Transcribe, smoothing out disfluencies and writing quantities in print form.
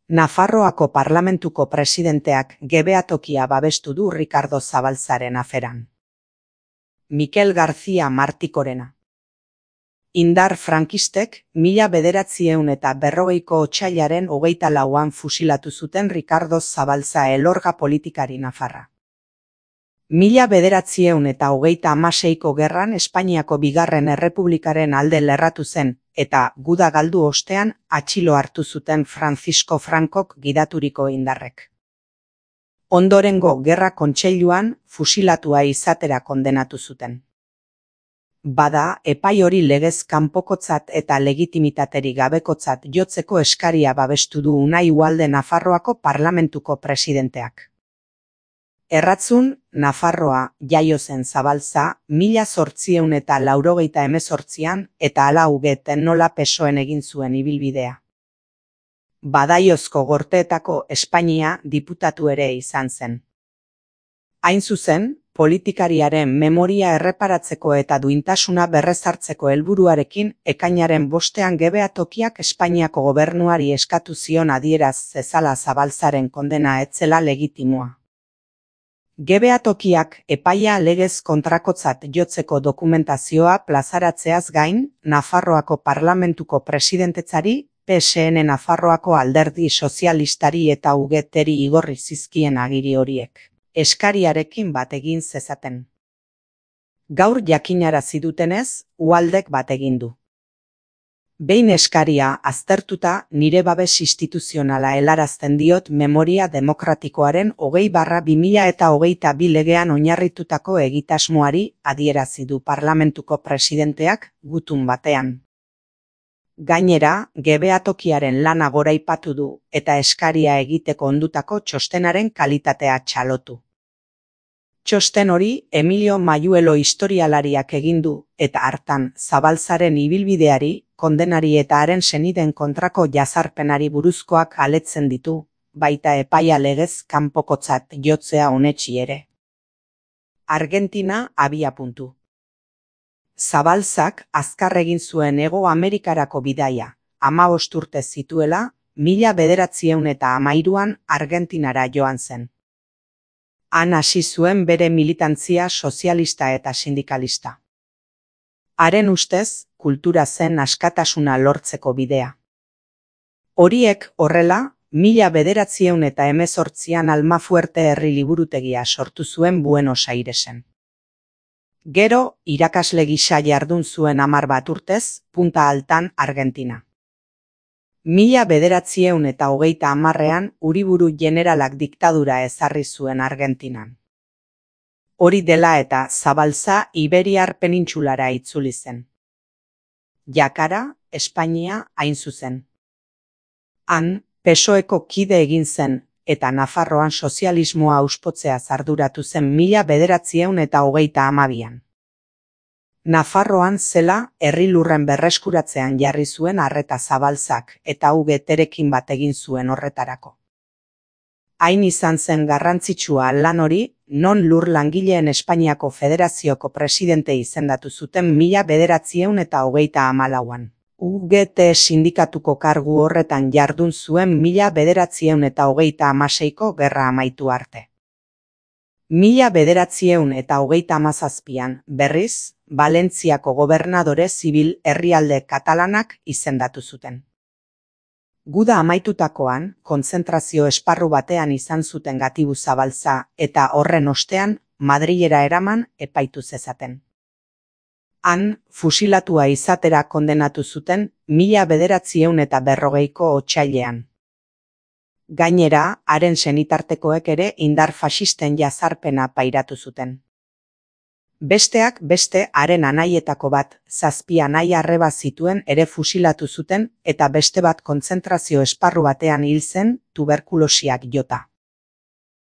Nafarroako parlamentuko presidenteak gebeatokia babestu du Ricardo Zabalzaren aferan. Mikel García Martikorena. Indar frankistek 1940ko otsailaren 24an fusilatu zuten Ricardo Zabalza elorga politikari nafarra. 1936ko gerran Espainiako bigarren errepublikaren alde lerratu zen, eta guda galdu ostean atxilo hartu zuten Francisco Francok gidaturiko indarrek. Ondorengo gerra kontseiluan fusilatua izatera kondenatu zuten. Bada, epai hori legez kanpokotzat eta legitimitaterik gabekotzat jotzeko eskaria babestu du Unai Ugalde Nafarroako parlamentuko presidenteak. Erratzun, Nafarroa jaio zen Zabalza 1888an eta hala ugeten nola PSOEn egin zuen ibilbidea. Badaiozko Gorteetako Espainia diputatu ere izan zen. Hain zuzen, politikariaren memoria erreparatzeko eta duintasuna berrezartzeko helburuarekin ekainaren 5ean gebeatokiak Espainiako gobernuari eskatu zion adieraz zezala Zabalzaren kondena ez zela legitimoa. Gebeatokiak epaia legez kontrakotzat jotzeko dokumentazioa plazaratzeaz gain, Nafarroako parlamentuko presidentetzari, PSN Nafarroako alderdi sozialistari eta UGTeri igorri zizkien agiri horiek, eskariarekin bat egin zezaten. Gaur jakinarazi dutenez, Ugaldek bat egin du. Behin eskaria aztertuta nire babes instituzionala helarazten diot memoria demokratikoaren 20/2022 legean oinarritutako egitasmoari adierazi du parlamentuko presidenteak gutun batean. Gainera, gebeatokiaren lana goraipatu du eta eskaria egiteko ondutako txostenaren kalitatea txalotu. Txosten hori Emilio Mayuelo historialariak egin du eta hartan Zabalzaren ibilbideari, kondenari eta haren senideen kontrako jazarpenari buruzkoak aletzen ditu, baita epaia legez kanpokotzat jotzea onetsi ere. Argentina abiapuntu. Zabalzak azkar egin zuen Hego Amerikarako bidaia, 15 urte zituela, 1913an Argentinara joan zen. Han hasi zuen bere militantzia sozialista eta sindikalista. Haren ustez, kultura zen askatasuna lortzeko bidea. Horiek horrela, 1918an Almafuerte herri liburutegia sortu zuen Buenos Airesen. Gero, irakasle gisa jardun zuen 10 urtez, Punta Altan, Argentina. 1930an Uriburu generalak diktadura ezarri zuen Argentinan. Hori dela eta Zabalza Iberiar penintsulara itzuli zen. Jakara, Espainia hain zuzen. Han, PSOEko kide egin zen, eta Nafarroan sozialismoa auspotzea arduratu zen 1932an. Nafarroan zela, herri lurren berreskuratzean jarri zuen arreta Zabalzak eta UGTrekin bat egin zuen horretarako. Hain izan zen garrantzitsua lan hori, non lur langileen Espainiako Federazioko presidente izendatu zuten 1934an. UGT sindikatuko kargu horretan jardun zuen 1936ko gerra amaitu arte. 1937an, berriz, Valentziako gobernadore zibil herrialde katalanak izendatu zuten. Guda amaitutakoan, kontzentrazio esparru batean izan zuten gatibu Zabalza eta horren ostean Madrilera eraman epaitu zezaten. Han, fusilatua izatera kondenatu zuten 1940ko otsailean. Gainera, haren senitartekoek ere indar faxisten jazarpena pairatu zuten. Besteak beste haren anaietako bat, 7 anai arreba zituen ere fusilatu zuten eta beste bat kontzentrazio esparru batean hil zen tuberkulosiak jota.